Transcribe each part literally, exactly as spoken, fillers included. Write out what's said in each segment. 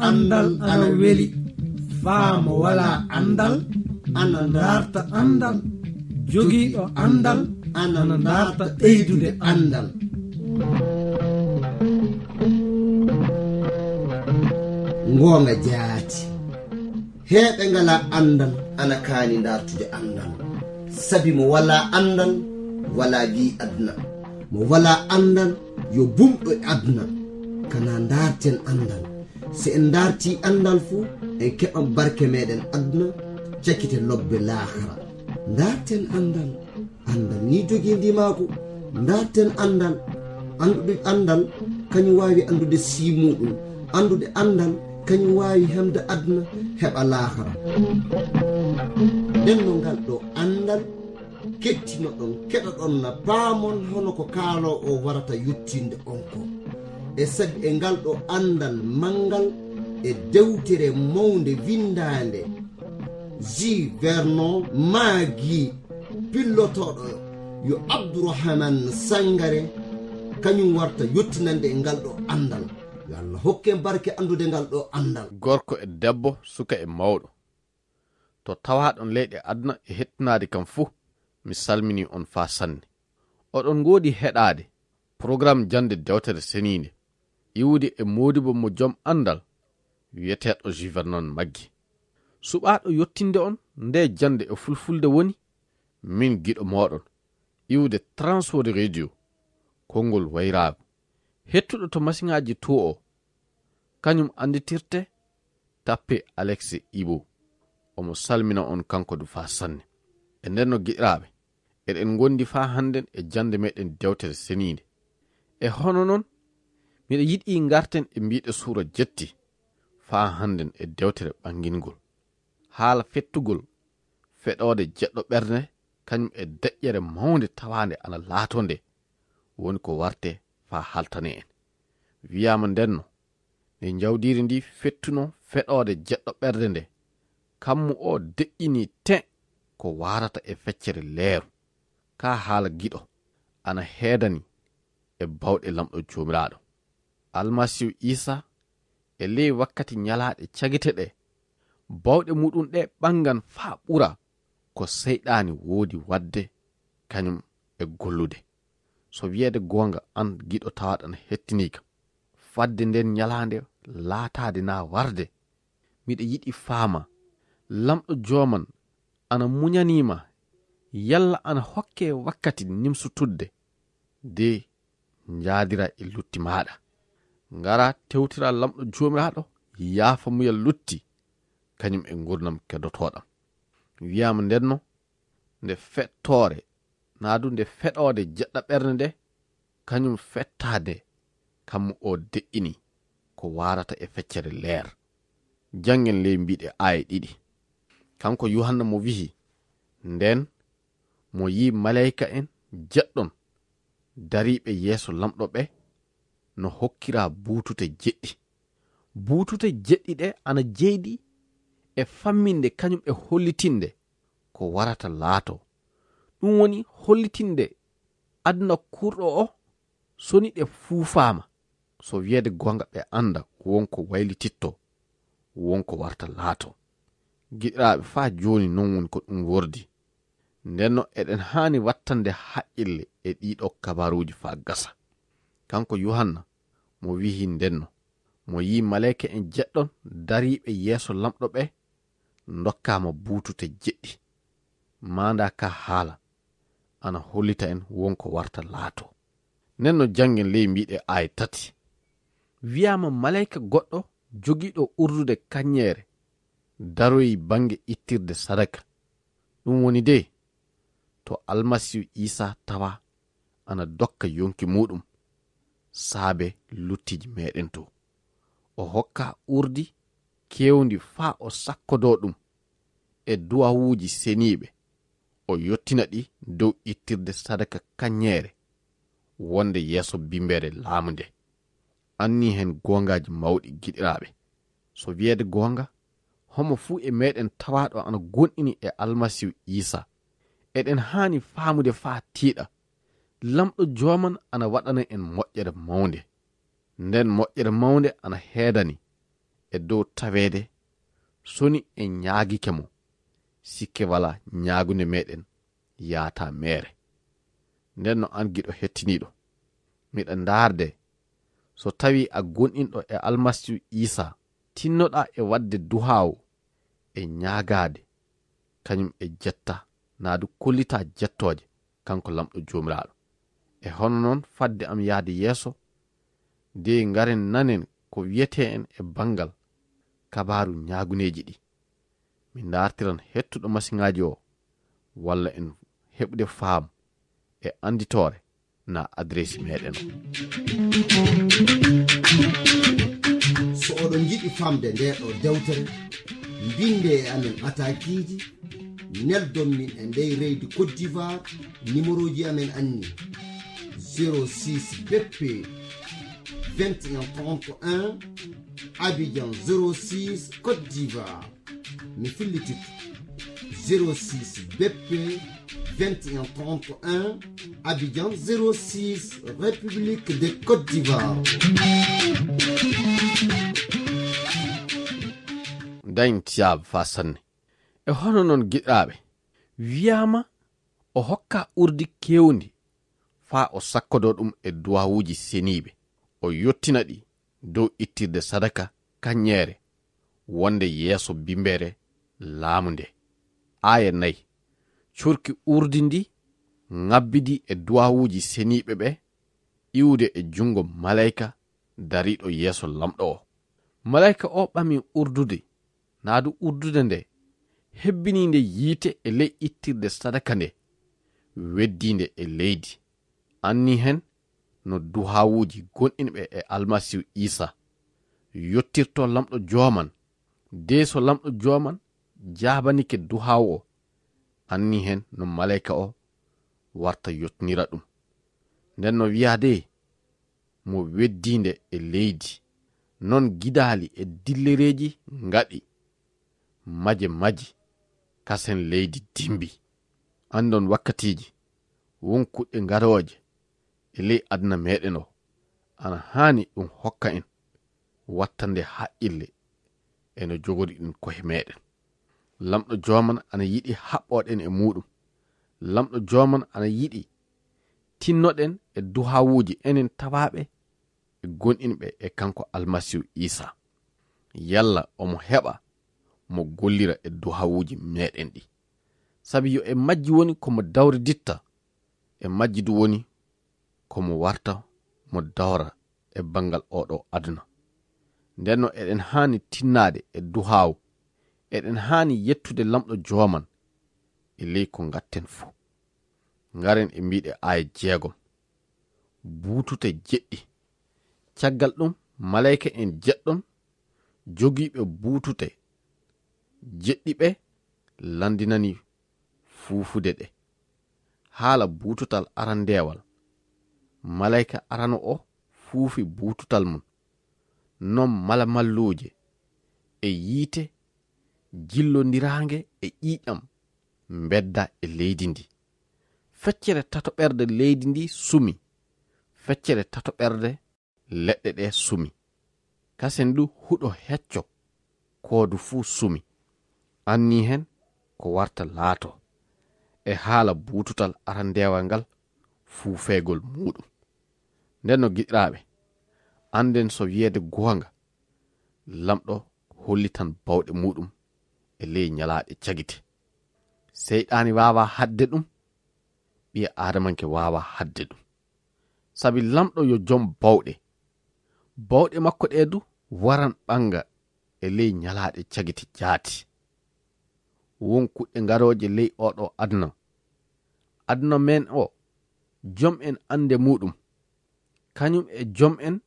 Anndal ana weli, faa mo walaa anndal ana ndaarta anndal, jogiiɗo anndal ana ndaarta ɓeydude anndal. Ngoonga jaati. Heeɓe ngalaa anndal ana kaani ndaartude anndal. Sabi mo walaa anndal, walaa lii aduna. Mo walaa anndal, yo bumɗo e aduna. Kana ndaarten anndal. Si en ndaartii anndal fu, en keɓan barke meɗen aduna, cakite lobbe laakara. Ndaarten anndal. Anndal ni jogii ndimaagu. Ndaarten anndal. Anndude anndal, kañum waawi anndude sii muuɗum. Anndude anndal, kañum waawi hemde aduna, heɓa laakara. Nden no ngal ɗo anndal, kettinoɗon, keɗoɗon na paamon hono ko kaaloo o warata yottinde on ko. E sabi e ngal ɗo anndal manngal e dewtere mawnde winndaande, Ji Vernon Maagi, pillotooɗo yo Abdourahmane Sangare, kañum warta yottinande e ngal ɗo anndal. Yo Allah hokke en barke anndude ngal ɗo anndal. Gorko e debbo, suka e mawɗo, to tawaaɗon leyɗe aduna e hettinaade kam fuu, mi salminii on faa sanne. Oɗon ngoodi heɗaade programme jannde dewtere seniinde, iwude e moodibo mo jom anndal, wiyeteeɗo Ji Vernon Maggi. Suɓaaɗo yottinde on nde jannde e fulfulde woni min giɗo mooɗon, iwude Transworld Radio, konngol wayraagu. Hettuɗo to masiŋaaji to o, kañum annditirte tappe Alex Ibo. Omo salmina on kanko du faa sanne. E nden no giɗiraaɓe, eɗen ngondi faa hannden e jannde meɗen dewtere seniinde. E hono non, miɗa yiɗi ngarten e mbiɗe suura jetti faa hannden e dewtere ɓangingol. Haala fettugol feɗoode jeɗɗo ɓernde, kañum e deƴƴere mawnde tawaande ana laato nde, woni ko warte faa haltane en. Wiyaama ndenno, nde njawdiri ndi fettuno feɗoode jeɗɗo ɓernde nde, kammu o deƴƴini ten ko waarata e feccere leeru. Ka haala giɗo, ana heedani e bawɗe Lamɗo Joomiraaɗo. Almasiihu Iisa, e ley wakkati ñalaaɗe cagite ɗe, bawɗe muɗum ɗe ɓangan faa ɓura ko Seyɗaani woodi waɗde kañum e gollude. So wiyeede goonga, an giɗo tawaaɗo ana hettiniika, fadde nden ñalaande laataade naa warde, miɗa yiɗi faama, Lamɗo Jooman ana muñanii ma, yalla ana hokke wakkati nimsutudde de njaadira e lutti maaɗa. Ngara tewtira Lamɗo Joomiraaɗo, yaafa muyal lutti, kañum e ngurnam kedotooɗam. Wiyaama ndenno, nde fettoore, naa du nde feɗoode jeɗɗa ɓernde nde, kañum fettaade kammu o deƴƴini ko waarata e feccere leer. Janngen ley mbiɗe aaye ɗiɗi. Kanko Yuhanna mo wi'i, nden mo yi'i maleyka en jeɗɗon dariiɓe yeeso Lamɗo ɓe no hokkira buutute jeɗɗi. Buutute jeɗɗi ɗe ana jeydi e famminde kañum e hollitinde ko warata laato. Ɗum woni hollitinde aduna kurɗo o soni ɗe fuufaama. So wiyeede goonga ɓe annda wonko waylititto, wonko warta laato. Giɗiraaɓe, faa jooni non woni ko ɗum wordi. Ndenno eɗen haani wattande haqqille e ɗiɗo kabaruuji faa gasa. Kanko Yuhanna mo wi'i ndenno, mo yi'i maleyka en jeɗɗon dariiɓe yeeso Lamɗo ɓe ndokkaama buutute jeɗɗi. Maanda ka haala ana hollita en wonko warta laato. Ndenno janngen ley mbiɗe aaye tati. Wiyaama maleyka goɗɗo jogiiɗo urdude kaññeere daroyi bannge ittirde sadaka. Ɗum woni de, to Almasiihu Iisa tawa ana dokka yonki muuɗum saabe luttiiji meɗen to. O hokka urdi keewndi faa o sakkodoo ɗum e duwawuuji seniiɓe, o yottina ɗi dow ittirde sadaka kaññeere wonde yeeso bimbeere laamu nde. Anni heen goongaaji mawɗi, giɗiraaɓe. So wiyeede goonga, homo fuu e meɗen tawaaɗo ana gonɗini e Almasiihu Iisa, eɗen haani faamude faa tiiɗa. Lamɗo Jooman ana waɗana en moƴƴere mawnde. Nden moƴƴere mawnde ana heedani e dow taweede, soni en ñaagike mo, sikke walaa ñaagunde meeɗen yaata meere. Nden no an giɗo hettiniiɗo, miɗa ndaarde, so tawi a gonɗinɗo e Almasiihu Iisaa, tinnoɗaa e waɗde duhaawu e ñaagaade, kañum e jetta, naa du kollitaa jettooje, kanko Laamɗo Joomiraaɗo. E hono noon, fadde am yahde yeeso, de ngaren nanen ko wiyetee en e banngal kabaaru ñaaguneeji ɗi. Mi ndaartiran hettuɗo masiŋaaji o, walla en heɓude faamu e annditoore na adresi meeɗen o. So oɗon njiɗi famde nde ɗo dewtere, mbinde e amen atakiiji, neldon min e ndey reydi Côte d'Ivoire, numéroji amen anni: zéro six B P vingt et un trente et un, Abidjan zéro six, Côte d'Ivoire. Mi fillitito: zéro six B P vingt et un trente et un, Abidjan zéro six, République de Côte d'Ivoire. Dañ tiyaaba faa sanne. E hono noon, giɗaaɓe, wiyaama o hokka urdi keewndi faa o sakkodoo ɗum e duwawuuji seniiɓe, o yottina ɗi dow ittirde sadaka kaññeere wonde yeeso bimbeere laamu nde. Aaya nayi, curki urdi ndi, ŋabbidi e duwawuuji seniiɓe ɓe, iwde e junngo maleyka dariiɗo yeeso Laamɗo o. Maleyka o ɓami urdude, naa du urdude nde, hebbini nde yiite e ley ittirde sadaka nde, weddii nde e leydi. Anni heen no duhawuuji gonɗinɓe e Almasiihu Iisaa yottirtoo Laamɗo Jooman. De so Laamɗo Jooman jaabanike duhawu o, anni heen no maleyka o warta yottinira ɗum. Nden no wiyaade mo weddii nde e leydi, non gidaali e dillereeji ngaɗi maje maji, kasen leydi dimbi. Anndon wakkatiiji, won kuɗɗe garooje e ley aduna meeɗen o, ana haani ɗum hokka en wattande haqqille e no jogoriɗen ko'e meeɗen. Laamɗo Jooman ana yiɗi haɓɓoɗen e muuɗum. Laamɗo Jooman ana yiɗi tinnoɗen e duhawuuji enen tawaaɓe e gonɗinɓe e kanko Almasiihu Iisaa. Yalla omo heɓa mo gollira e duhawuuji meeɗen ɗi. Sabi yo e majji woni ko mo dawriditta, e majji du woni ko mo warta mo dawra e banngal oɗo aduna. Nden no eɗen haani tinnaade e duhaawu, eɗen haani yettude Laamɗo Jooman e ley ko ngatten fuu. Ngaren e mbiɗe aaya jeegom. Buutute jeɗɗi. Caggal ɗum, maleyka en jeɗɗon jogiiɓe buutute jeɗɗi ɓe lanndinani fuufude ɗe. Haala buututal arandeewal, maleyka arano o fuufi buututal mum. Non malamalluuje e yiite jillondiraange e ƴiiƴam mbedda e leydi ndi. Feccere tatoɓerde leydi ndi sumi, feccere tatoɓerde leɗɗe ɗe sumi. Kasen du huɗo hecco koodu fuu sumi. Anni heen ko warta laato e haala buututal arandeewal ngal fuufeegol muuɗum. Nden no giɗiraaɓe, annden so wiyeede goonga, Laamɗo hollitan bawɗe muuɗum e ley ñalaaɗe cagite. Seyɗaani waawaa haɗde ɗum, ɓiya aadamanke waawaa haɗde ɗum. Sabi Laamɗo yo jom bawɗe. Bawɗe makko ɗe du waran ɓannga e ley ñalaaɗe cagite jaati. Won kuɗɗe garooje ley oɗo aduna. Aduna men o, jom en annde muuɗum. Kañum e jom en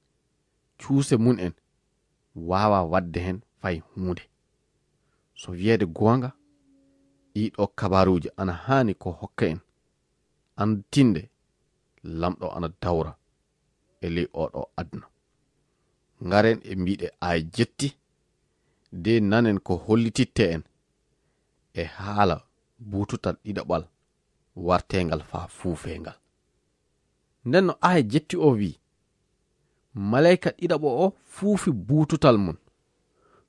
cuuse mum en waawaa waɗde heen fay huunde. So wiyeede goonga, ɗii ɗo kabaaruuji ana haani ko hokka en annditinde Laamɗo ana dawra e ley oɗo aduna. Ngaren e mbiɗe aaya jetti, de nanen ko hollititte en e haala buututal ɗiɗaɓal warteengal faa fuufeengal. Nden no aaya jetti o wi'i, maleyka ɗiɗaɓo o fuufi buututal mum.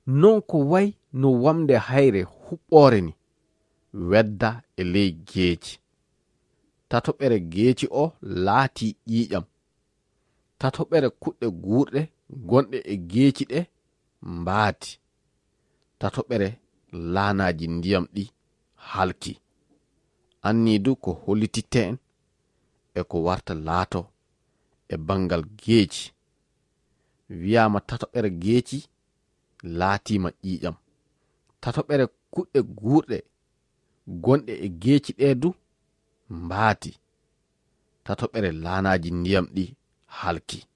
Non ko way no wamnde hayre huɓɓoore ni, wedda e ley geeci. Tatoɓere geeci o laatii ƴiiƴam. Tatoɓere kuɗɗe guurɗe gonɗe e geeci ɗe mbaati. Tatoɓere laanaaji ndiyam ɗi halki. Annii du ko hollititte en e ko warta laato e banngal geeci. Wiyaama tatoɓere geeci laatiima ƴiiƴam. Tatoɓere kuɗɗe guurɗe gonɗe e geeci ɗe du mbaati. Tatoɓere laanaaji ndiyam ɗi halki.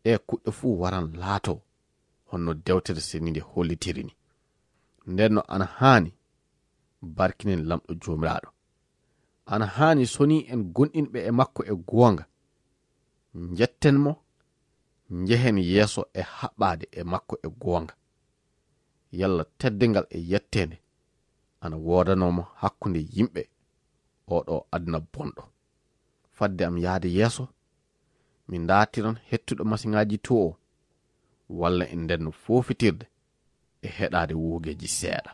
Ɗe kuɗɗe fuu waran laato honno dewtere seniinde hollitiri ni. Nden no ana haani barkinen Lamɗo Joomiraaɗo. Ana haani soni en gonɗinɓe e makko e goonga. Njetten mo, njehen yeeso e haɓɓaade e makko e goonga. Yalla teddingal e yetteende ana woodanoo mo hakkunde yimɓe oo ɗoo aduna bonɗo. Fadde am yahde yeeso, mi ndaartiran hettuɗo masiŋaaji to o, walla en ndenno foofitirde e heɗaade woogeeji seeɗa.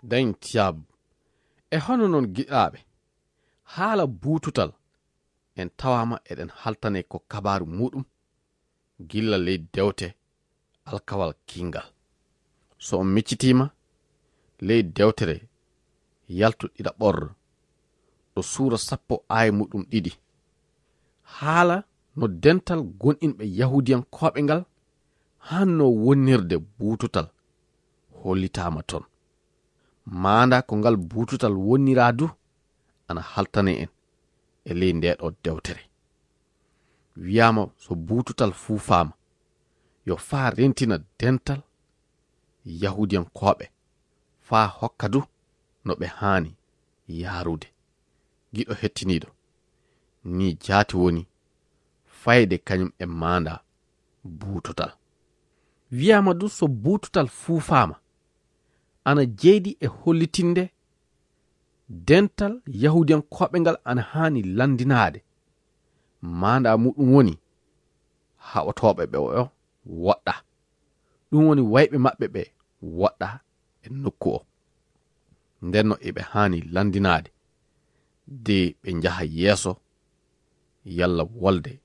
Dañ tiyaabu. E hono non, giɗaaɓe, haala buututal en tawaama eɗen haltanee ko kabaaru muuɗum gilla ley dewte Alkawal Kiinngal. So on miccitiima ley dewtere Yaltu ɗiɗaɓordo, ɗo suura sappo aaya muuɗum ɗiɗi, haala no dental gonɗinɓe Yahuudiyankooɓe ngal haannoo wonnirde buututal hollitaama ton. Maandaa ko ngal buututal wonniraa du ana haltane en e ley ndee ɗoo dewtere. Wiyaama so buututal fuufaama, yo faa rentina dental Yahuudiyankooɓe, faa hokka du no ɓe haani yaarude. Giɗo hettiniiɗo, nii jaati woni fayde kañum e maandaa buututal. Wiyaama du so buututal fuufaama, ana jeydi e hollitinde dental Yahuudiyankooɓe ngal ana haani lanndinaade. Maandaa muuɗum woni haɓotooɓe ɓe o woɗɗa. Ɗum woni wayɓe maɓɓe ɓe woɗɗa e nokku o. Ndenno eɓe haani lanndinaade de ɓe njaha yeeso, yalla wolde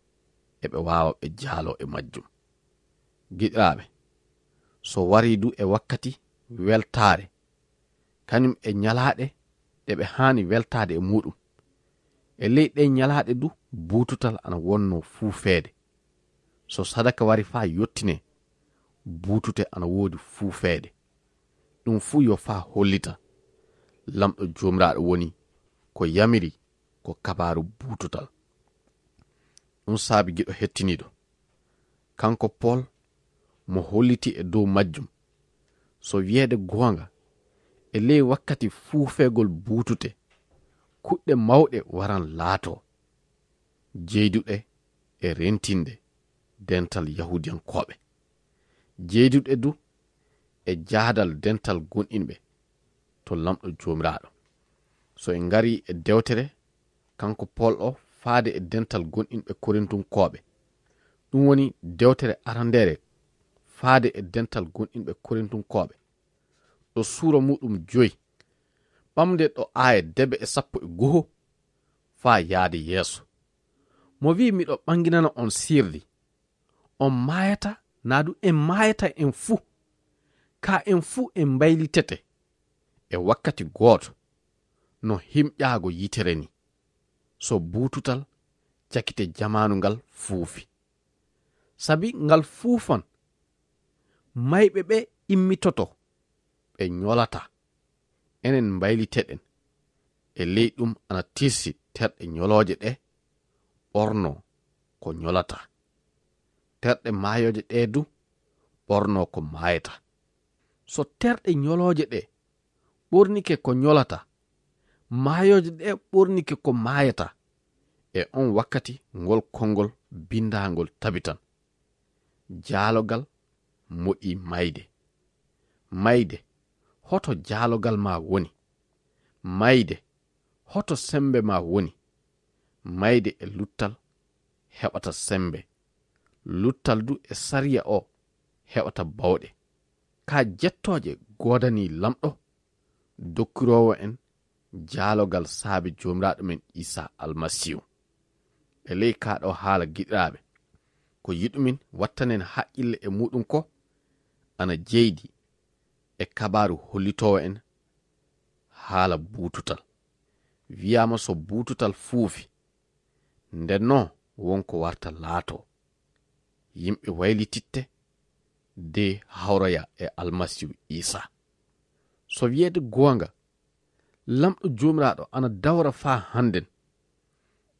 eɓe waawa ɓe jaaloo e majjum. Giɗiraaɓe, so warii du e wakkati weltaare, kañum e ñalaaɗe ɗe ɓe haani weltaade e muuɗum, e ley ɗee ñalaaɗe du buututal ana wonnoo fuufeede. So sadaka wari faa yottinee, buutute ana woodi fuufeede. Ɗum fuu yo faa hollita Lamɗo Joomiraaɗo woni ko yamiri ko kabaaru buututal. Ɗum saabi, giɗo hettiniiɗo, kanko Pol mo holliti e dow majjum, so wiyeede goonga, e ley wakkati fuufeegol buutute, kuɗɗe mawɗe waran laatoo. jeyduɗe e rentinde dental Yahuudiyankooɓe, jeyduɗe du e jaadal dental gonɗinɓe to Laamɗo Joomiraaɗo. So en ngarii e dewtere kanko Pool o faade e dental gonɗinɓe Korintunkooɓe, ɗum woni dewtere arandeere faade e dental gonɗinɓe Korintunkooɓe, ɗo suura muuɗum joyi, ɓamde ɗo aaya debe e sappo e go'o faa yaade yeeso. Mo wi'i, "Miɗo ɓanginana on sirri. On maayata, naa du en maayata en fuu. Kaa en fuu en mbaylitete e wakkati gooto, no himƴaago yitere ni, so buututal cakite jamaanu ngal fuufi. Sabi ngal fuufan, mayɓe ɓe immitoto, ɓe ñolataa. Enen mbayliteɗen e ley ɗum ana tirsi terɗe ñolooje ɗe ɓornoo ko ñolataa, terɗe maayooje ɗe du ɓornoo ko maayataa. So terɗe ñolooje ɗe ɓornike ko ñolataa, maayooje ɗe ɓornike ko maayataa, e on wakkati ngol konngol binndaangol tabitan. Jaalogal moƴƴi mayde. Mayde, hoto jaalogal maa woni? Mayde, hoto semmbe maa woni? Mayde e luttal heɓata semmbe. Luttal du e sariya o heɓata bawɗe. Kaa jettooje goodanii Laamɗo, dokkiroowo en jaalogal saabe Joomiraaɗo men Iisaa Almasiihu. E ley kaa ɗoo haala, giɗiraaɓe, ko yiɗumin wattanen haqqille e muuɗum ko ana jeydi e kabaaru hollitoowo en haala buututal. Wiyaama so buututal fuufi, ndennoo won ko warta laatoo. Yimɓe waylititte de hawroya e Almasiihu Iisaa. So wiyeede goonga, Laamɗo Joomiraaɗo ana dawra faa hannden.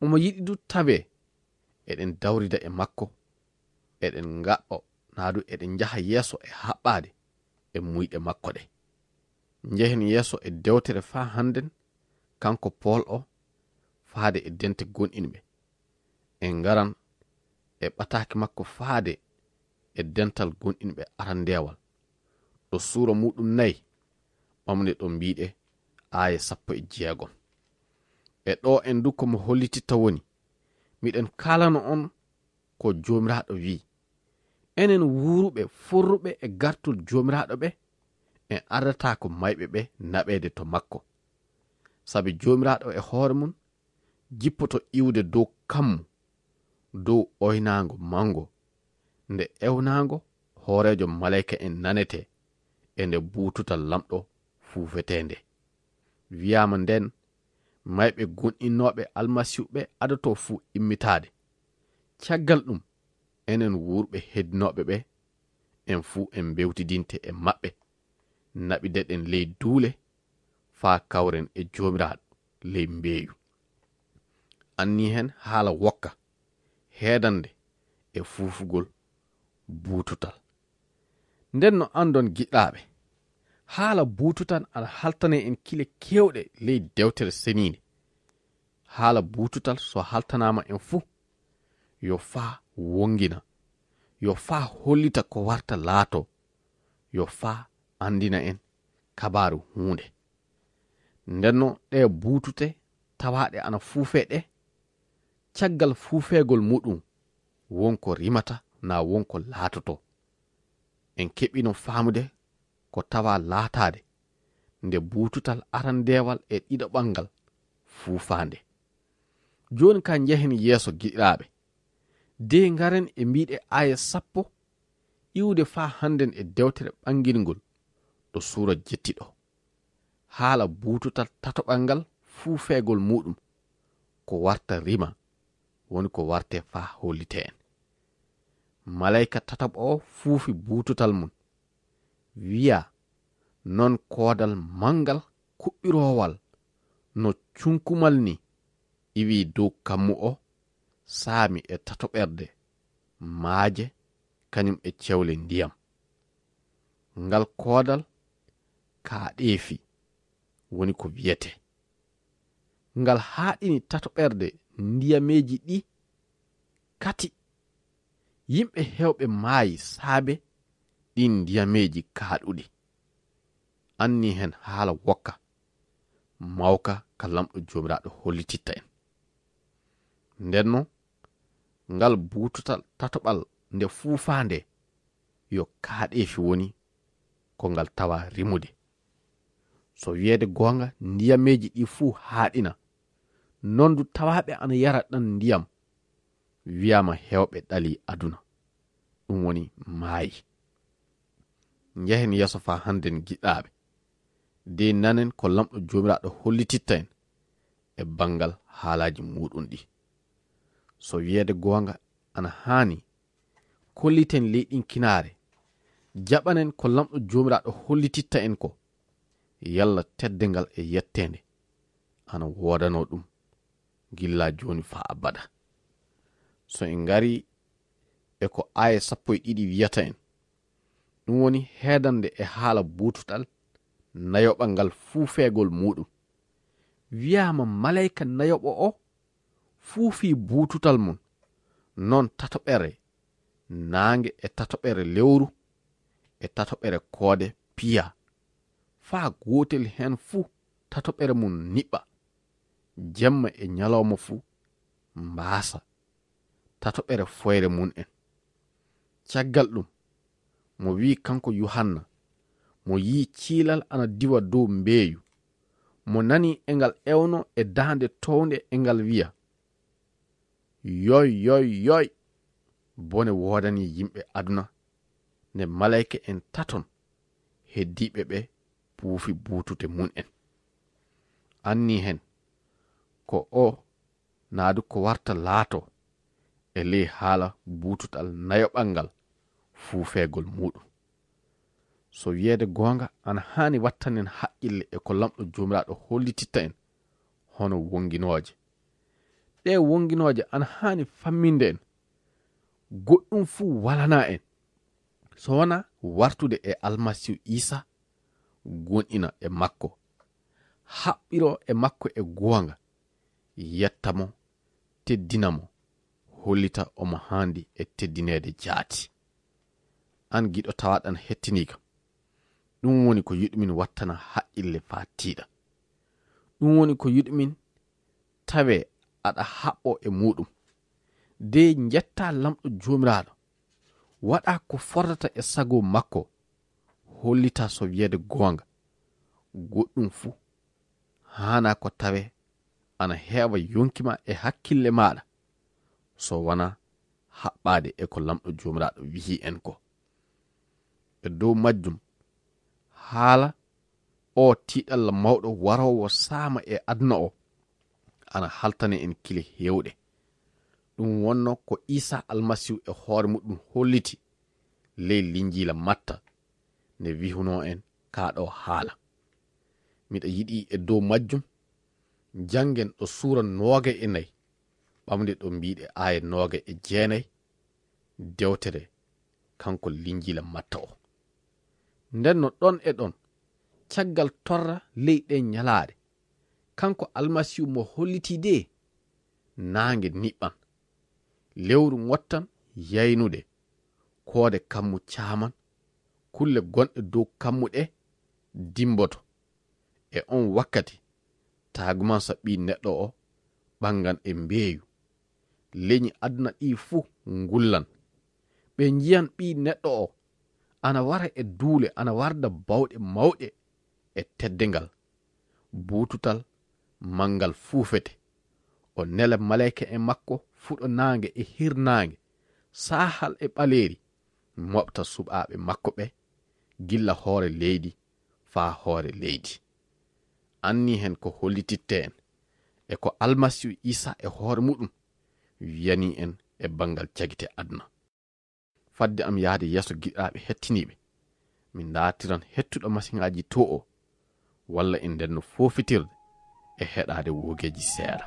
Omo yiɗi du tawee eɗen dawrida e makko, eɗen ngaɗɗo naa du eɗen njaha yeeso e haɓɓaade e muyɗe makko ɗe. Njehen yeeso e dewtere faa hannden, kanko Pool o, faade e dente gonɗinɓe. En ngaran e ɓataake makko faade e dental gonɗinɓe arandeewal, ɗo suura muuɗum nayi, ɓamde ɗo mbiiɗe aaya sappo e jeegom. E ɗo en du ko mo hollititta woni, miɗen kaalana on ko Joomiraaɗo wi'i, enen wuuruɓe forruɓe e gartol Joomiraaɗo ɓe, en ardataa ko mayɓe ɓe naɓeede to makko. Sabi Joomiraaɗo e hoore mum jippoto iwde dow kammu, dow oynaango manngo, nde ewnaango hooreejo maleyka en nanetee, e nde buututal Laamɗo fuufetee nde. Wiyaama ndeen, mayɓe gonɗinooɓe Almasiihu ɓe adotoo fuu immitaade. Caggal ɗum, enen wuurɓe heddinooɓe ɓe, en fuu en mbewtidinte e maɓɓe, naɓideɗen ley duule, faa kawren e Joomiraaɗo ley mbeeyu. Annii hen haala wokka, heedande e fuufugol buututal. Nden no anndon, giɗaaɓe, haala buututal ana haltanee en kile keewɗe ley Dewtere Seniinde. Haala buututal so haltanaama en fuu, yo faa wongina, yo faa hollita ko warta laatoo, yo faa anndina en kabaaru huunde. Ndenno ɗee buutute tawaaɗe ana fuufee ɗe, caggal fuufeegol muɗum, won ko rimata naa won ko laatotoo. En keɓino faamude ko tawaa laataade nde buututal arandeewal e ɗiɗaɓal ngal fuufaande. Jooni kaa njehen yeeso, giɗiraaɓe. De ngaren e mbiiɗe aaya sappo iwde faa hannden e dewtere ɓangingol ɗo suura jetti ɗo. Haala buututal tataɓal ngal fuufeegol muɗum ko warta rima, woni ko wartee faa hollitee en. Maleyka tataɓo o fuufi buututal mum. Wiyaa non koodal manngal kuɓɓiroowal no cunkumal ni iwi dow kammu o, saami e tatoɓerde maaje, kañum e cewle ndiyam. Ngal koodal kaaɗeefi woni ko wiyetee. Ngal haaɗini tatoɓerde ndiyameeji ɗi Kati, yimɓe heewɓe maayi saabe ɗin ndiyameeji kaaɗuɗi. Anni hen haala wokka, mawka ka Lamɗo Joomiraaɗo hollititta en. Nden non, ngal buututal tatoɓal nde fuufaande yo kaaɗeefi woni ko ngal tawa rimude. So wiyeede goonga, ndiyameeji ɗi fuu haaɗina. Non du tawaaɓe ana yara ɗan ndiyam, wiyaama heewɓe ɗalii aduna. Ɗum woni maayi. Njehen yeeso faa hannden giɗaaɓe. De nanen ko Lamɗo Joomiraaɗo hollititta en e banngal haalaaji muuɗum ɗi. So wiyeede goonga ana haani, kolliten ley ɗin kinaare, jaɓanen ko Lamɗo Joomiraaɗo hollititta en ko, yalla teddeengal e yetteende ana woodanoo ɗum gilla jooni faa abada. So en ngarii e ko aaya sappo e ɗiɗi wiyata en, ɗum woni heedande e haala buututal nayoɓal ngal fuufeegol muuɗum. Wiyaama maleyka nayoɓo o fuufii buututal mum, non tatoɓere naange e tatoɓere lewru e tatoɓere koode piya, faa gootel hen fuu tatoɓere mum niɓɓa, jemma e ñalawma fuu mbaasa tatoɓere foyre mum en. Caggal ɗum, mo wi'i kanko Yuhanna, mo yi'i ciilal ana diwa dow mbeeyu, mo nani e ngal ewno e daande townde e ngal wi'a, "Yoy, yoy, yoy! Bone woodanii yimɓe aduna, nde maleyka en taton heddiiɓe ɓe puufi buutute mum en." Anni hen, ko o naadu ko warta laato e ley haala buututal nayoɓal ngal fuufeegol muuɗum. So wiyeede goonga, ana haani wattanen haqqille e ko Lamɗo Joomiraaɗo hollititta en hono wonginooje. Ɗee wonginooje ana haani famminde en. Goɗɗum fuu walanaa en so wanaa wartude e Almasiihu Iisaa, goonɗina e makko, haɓɓiroo e makko e goonga, yetta mo, teddina mo, hollita omo haandi e teddineede jaati. An giɗo tawaaɗan hettiniika, ɗum woni ko yiɗumin wattana haqqille faa tiiɗa. Ɗum woni ko yiɗumin tawee aɗa haɓɓoo e muuɗum. De njettaa Lamɗo Joomiraaɗo, waɗaa ko fordata e sago makko, hollitaa so wiyeede goonga, goɗɗum fuu haanaa ko tawee ana heewa yonki maa e hakkille maaɗa, so wanaa haɓɓaade e ko Lamɗo Joomiraaɗo wi'i en ko. E dow majjum, haala oo tiiɗalla mawɗo waroowo saama e aduna o, ana haltana en kile heewɗe. Ɗum wonno ko Iisaa Almasiihu e hoore muɗum holliti ley Linjiila Matta, nde wihunoo en kaa ɗoo haala. Miɗa yiɗi e dow majjum, janngen ɗo suura noogay e nayi, ɓamde ɗo mbiiɗe aaya noogay e jeenay, dewtere kanko Linjiila Matta o. Nden no ɗon e ɗon, caggal torra ley ɗen ñalaaɗe, kanko Almasiihu mo hollitii de, naange niɓɓan, lewru ŋottan yaynude, koode kammu caaman, kulle gonɗe dow kammu ɗe dimboto. E on wakkati, taagumansa Ɓii Neɗɗo o ɓangan e mbeeyu. Leñi aduna ɗii fuu ngullan. Ɓe njiyan Ɓii Neɗɗo o ana wara e duule, ana warda bawɗe mawɗe e teddengal. Buututal manngal fuufete. O nela maleyka en makko fuɗo naange e hirnaange, saahal e ɓaleeri, moɓta suɓaaɓe makko ɓe gilla hoore leydi faa hoore leydi. Anni hen ko hollititte en e ko Almasiihu Iisaa e hoore muɗum wiyanii en e banngal jagite aduna. Fadde am yahde yeeso, giɗaaɓe hettiniiɓe, mi ndaartiran hettuɗo masiŋaaji to o, walla en ndenno foofitirde e heɗaade woogeeji seeɗa.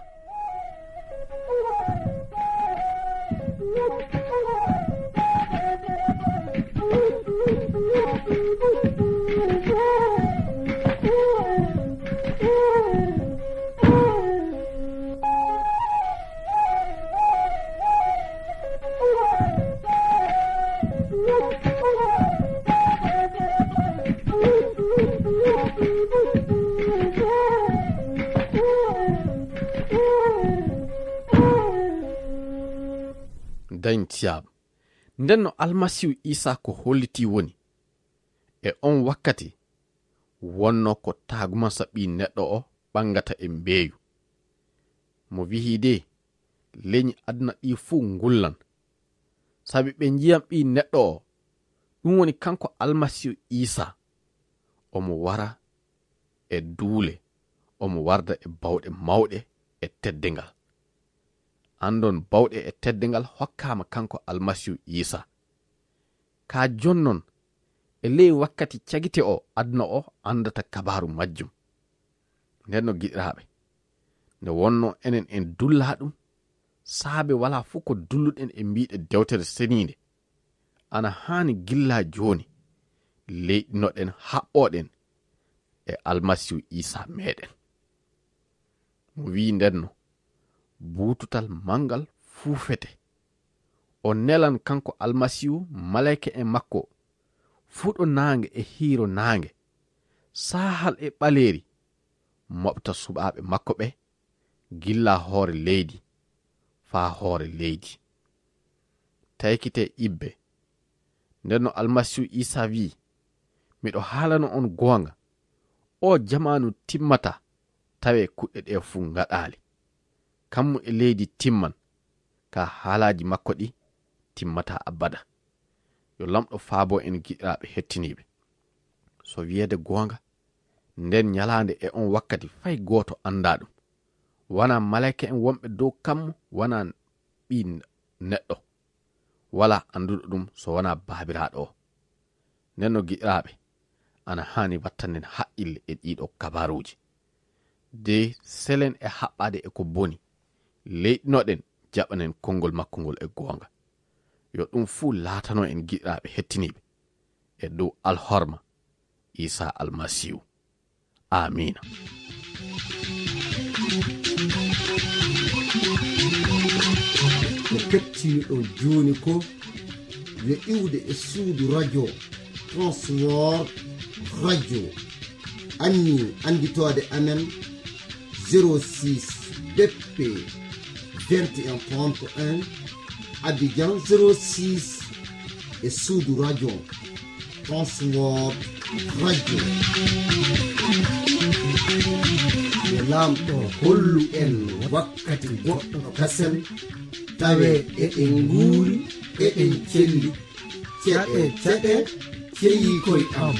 Saint Siab. Nden no Almasiihu Iisaa ko hollitii woni, e on wakkati wonno ko taagumansa ɓii neɗɗo o ɓangata e mbeeyu. Mo wi'i de, leñi aduna ɗi fuu ngullan. Sabi ɓe njiyan ɓii neɗɗo o, ɗum woni kanko Almasiihu Iisaa. Omo wara e duule, omo warda e bawɗe mawɗe e teddengal. Andon bawɗe e teddengal hokkaama kanko Almasiihu Iisaa. Ka jonnon, e ley wakkati cagite o aduna o andata kabaaru majjum. Nden no giɗiraaɓe, nde wonno enen en dullaa ɗum, saabe walaa fuu ko dulluɗen e mbiiɗe dewtere seniinde. Ana haani gilla jooni, leyɗinoɗen haɓɓoɗen e Almasiihu Iisaa meɗen. Mo wi'i ndenno, buututal mangal fuufete. O nelan kanko Almasiihu, maleyka en makko, fuɗo naange e hiiro naange, saahal e ɓaleeri, moɓta suɓaaɓe makko ɓe, gilla hoore leydi faa hoore leydi. Taykite ibbe. Nden no Almasiihu Iisaa wi'i, miɗo haalano on goonga, o jamaanu timmata, tawe kuɗɗe ɗe fuu ngaɗaali. Kammu e leydi timman, ka haalaaji makko ɗi timmata abada. Yo Lamɗo faabo en giɗiraaɓe hettiniiɓe. So wiyeede goonga, nden ñalaande e on wakkati fay gooto anndaa ɗum. Wanaa maleyka en wonɓe dow kammu, wanaa ɓii neɗɗo. Walaa annduɗo ɗum so wanaa Baabiraaɗo o. Nden no giɗiraaɓe, ana haani wattanden haqqille e ɗiɗo kabaaruuji. De selen e haɓɓaade e ko boni, leyɗinoɗen jaɓanen konngol makko ngol e goonga. Yo ɗum fuu laatano en giɗiraaɓe hettiniiɓe, e dow alhorma Iisaa Almasiihu. Aamiina. Ko kettiniɗon jooni ko yo iwde e suudu radio Transworld Radio. Anni annditoode amen zéro six B P vingt et un trente et un, Abidjan zéro six, e suudu radio Transworld Radio. Yo Laamɗo hollu en wakkati goɗɗo kasen, tawe eɗen nguuri, eɗen celli. Ceɗe, ceɗe, ceyi koy am.